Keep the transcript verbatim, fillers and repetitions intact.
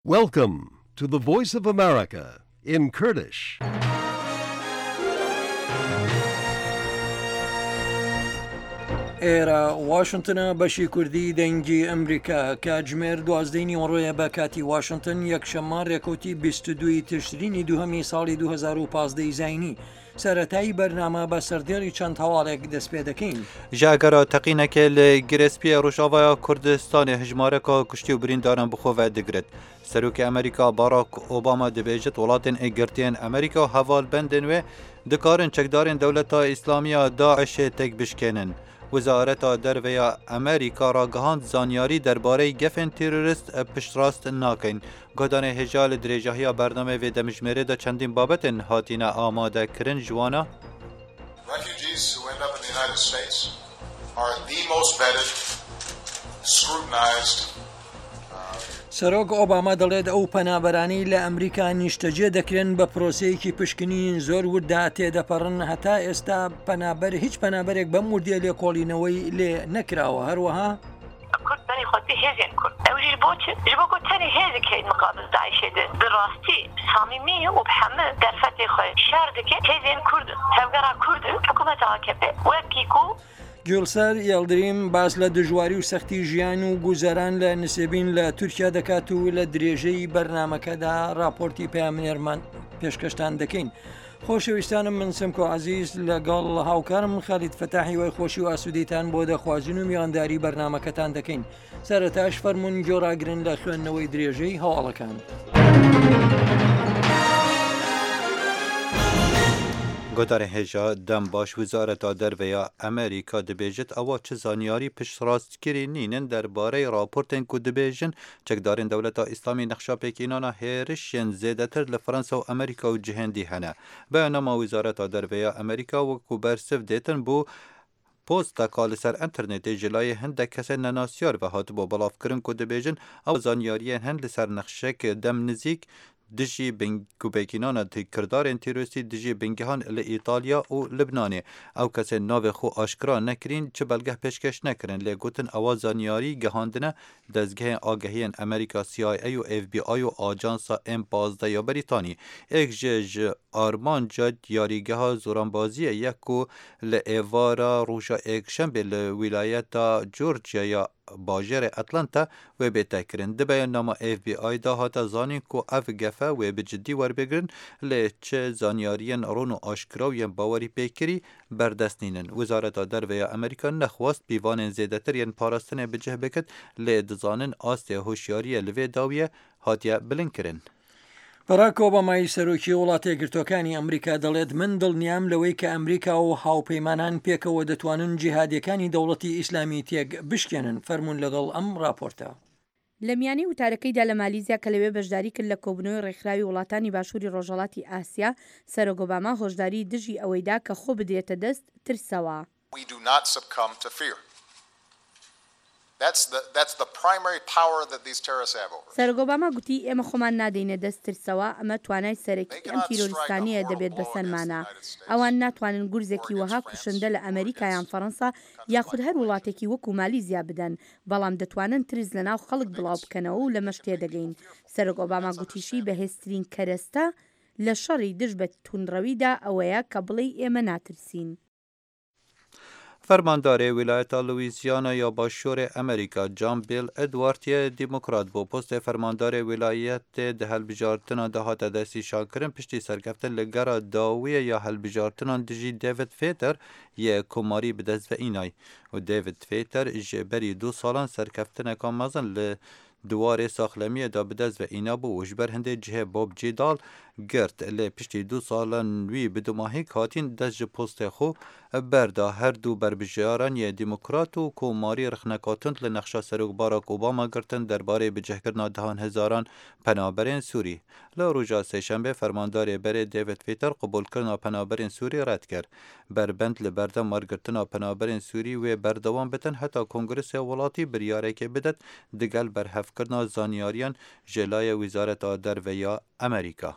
Welcome to the Voice of America in Kurdish. ئێرە واشنتنە بەشی کوردی دەنگی ئەمریکا کاتژمێر دوازدەی نیوەڕۆیە بە کاتی واشنتن یەکشەممە ڕێکەوتی بیست و دوو ی تشرینی دووهەمی ساڵی دوو هەزار و پازدە ی زاینی سەرەتای بەرنامە بە سەردێڕی چەند هەواڵێک دەست پێ دەکەین. Ji egera teqînekê li Girêspiyê Rojavaya Kurdistanê hejmareka kuştî û birîndaran bi xwe ve digirt. Serokê Amerîka Barack Obama dibêjit welatên Yekgirtiyên Amerîka û hevalbendên wê dikarin çekdarên Dewleta Îslamî ya DAIŞê têk bişkênin. Wezareta Derve ya Amerîka ragihand zanyarî derbareyê gefên terorîst piştrast nakin. Guhdanê hêja li dirêjahiya bernameyê vê demjimêrê de çendîn babetên hatine amadekirin ji wan Refugees who end up in the United States are the most vetted, scrutinized, سەرۆک ئۆباما دەڵێت ئەو پەنابەرانەی لە ئەمریکا نیشتەجێ دەکرێن بە پرۆسەیەکی پشکنین زۆر ورددا تێدەپەڕن، هەتا ئێستا پەنابەر هیچ پەنابەرێک بەم وردیە لێکۆڵینەوەی لێ نەکراوە. هەروەها کورد بەری خۆتی هێزێن کورد ئەوژیش بۆ چ ji bo ku tenê hêzek heye miqabil DAIŞê de bi rastî samîmî û bi hemû derfetê xwe şer dike hêzên Kurd tevgera Kurd hikûmeta A K P wekî ku گوڵسەر یەڵدریم باس لە دژواری و سەختی ژیان و گوزەران لە نسێبین لە تورکیا دەکات و لە درێژەی بەرنامەکەدا راپۆرتی پەیامنێرمان پێشکەشتان دەکەین. خۆشەویستانم من سمکۆ عەزیز لەگەڵ هاوکارم خالید فەتاحی وای خۆشی و ئاسوودیتان بۆ دەخوازین و میوانداری بەرنامەکەتان دەکەین. سەرەتاش فەرمونون گۆڕاگرن لە خوێندنەوەی درێژەی هەواڵەکان. گوتارە هێژا دەم باش وزارەتا دەرveya Amerîka dibêjit ewa çi zanyarî piştrastgirî nînin derbareyê raportên ku dibêjin çekdarên Dewleta Îslamî nexşa pêkînana hêrişên zêdetir li Fransa û Amerîka û cihên dî hene. Beyannama Wezareta Derveya Amerîka wekû bersiv dêtin bû posteka li ser înternetê ji layê hindek kesên nenasyar ve hatibû belavkirin ku dibêjin ew zanyariyên hin li ser nexşek dem nizîk dijî pêkînana kirdarên terorîstî dijî bingehan li Îtalya û Libnanê. Ew kesên navê xwe aşkera nekirîn çi belgeh pêşkeş nekirin lê gotin ewa zanyarî gihandine dezgehên agahiyên Amerîka C I A û F B I û Ajansa M pazdeh ya Brîtanî. Êk ji ji armanca diyarîgeha zoranbaziyê ye ku li êvara roja Yekşembê li wîlayeta Georgia ya bajêrê Atlanta wê bête kirin. Di beyannama F B I de hate zanîn ku ev gefe wê bi cidî werbigirin lê çi zanyariyên ron û aşkera û yên bawerî pêkirî berdest nînin. Wezareta Derve ya Amerîka nexwast pîvanên zêdetir yên parastinê bi cih bikin lê dizanin astê hişyariyê li vê dawiyê hatiye bilindkirin. باراک ئۆبامای سەرۆکی وڵاتە یەکگرتووەکانی ئەمریکا دەڵێت من دڵنیام لەوەی کە ئەمریکا و هاوپەیمانان پێکەوە دەتوانن جیهادیەکانی دەوڵەتی ئیسلامی تێک بشکێنن. فەرمونون لەگەڵ ئەم راپۆرتە. لە میانەی وتارەکەیدا لە مالیزیا کە لەوێ بەشداری کرد لە کۆبوونەوەی ڕێکخراوی وڵاتانی باشووری ڕۆژهەڵاتی ئاسیا، سەرۆک ئۆباما هۆشداری دژی ئەوەیدا کە خۆ بدرێتە دەست ترسەوە. We do not succumb to fear. That's the, that's the primary power that these terrorists have over us. سەرۆک ئۆباما گوتی ئێمە خۆمان نادەینە دەست ترسەوە، ئەمە توانای سەرەکی They ئەم cannot strike a تیرۆریستانەیە mortal دەبێت blow against the بەسەرمانە. United States ئەوان ناتوانن or گورزێکی against وەها France کوشندە لە or ئەمریکا یان against فەرەنسا countries یاخود like هەر Malaysia. وڵاتێکی وەکو مالیزیا بدەن، بەڵام دەتوانن ترس لەناو خەڵک But they بڵاو can بکەنەوە و they لەمەش can make people تێدەگەین. fearful. سەرۆک ئۆباما That's گوتیشی understandable. بەهێزترین کەرەستە لە شەڕی دژ بە توندڕەویدا ئەوەیە کە بڵێ ئێمە ناترسین. فەرماندارێ ویلایەتا لویزیانا یا باشوورê Amerîka John Bel Edwards yê Demokrat bû postê fermandarê wîlayetê di hilbijartinan de hate destnîşankirin piştî serkeftin li gera dawiyê ya hilbijartinan dijî David Fetzer yê Komarî bi dest ve înay û David Fetzer ji berî du salan serkeftineka mezin li diwarê saxlemiyê de bi dest ve îna bû û ji ber hindê cihê Bob Jindal girt lê piştî du salan wî bi dumahîk hatîn dest ji postê xwe berda. Her du berbijaran yê Demokrat û Komarî rexneka tund li nexşa Serok Barack Obama girtin derbarê bicihkirina dehan hezaran penaberên Sûrî. Li roja Sêşembê fermandarê berê David Fetzer qebûlkirina penaberên Sûrî red kir. Berbend li berdem wergirtina penaberên Sûrî wê berdewam bitin heta Kongresê welatî biryarekê bidet digel berhevkirina zanyariyan ji layê Wezareta Derve ya Amerîka.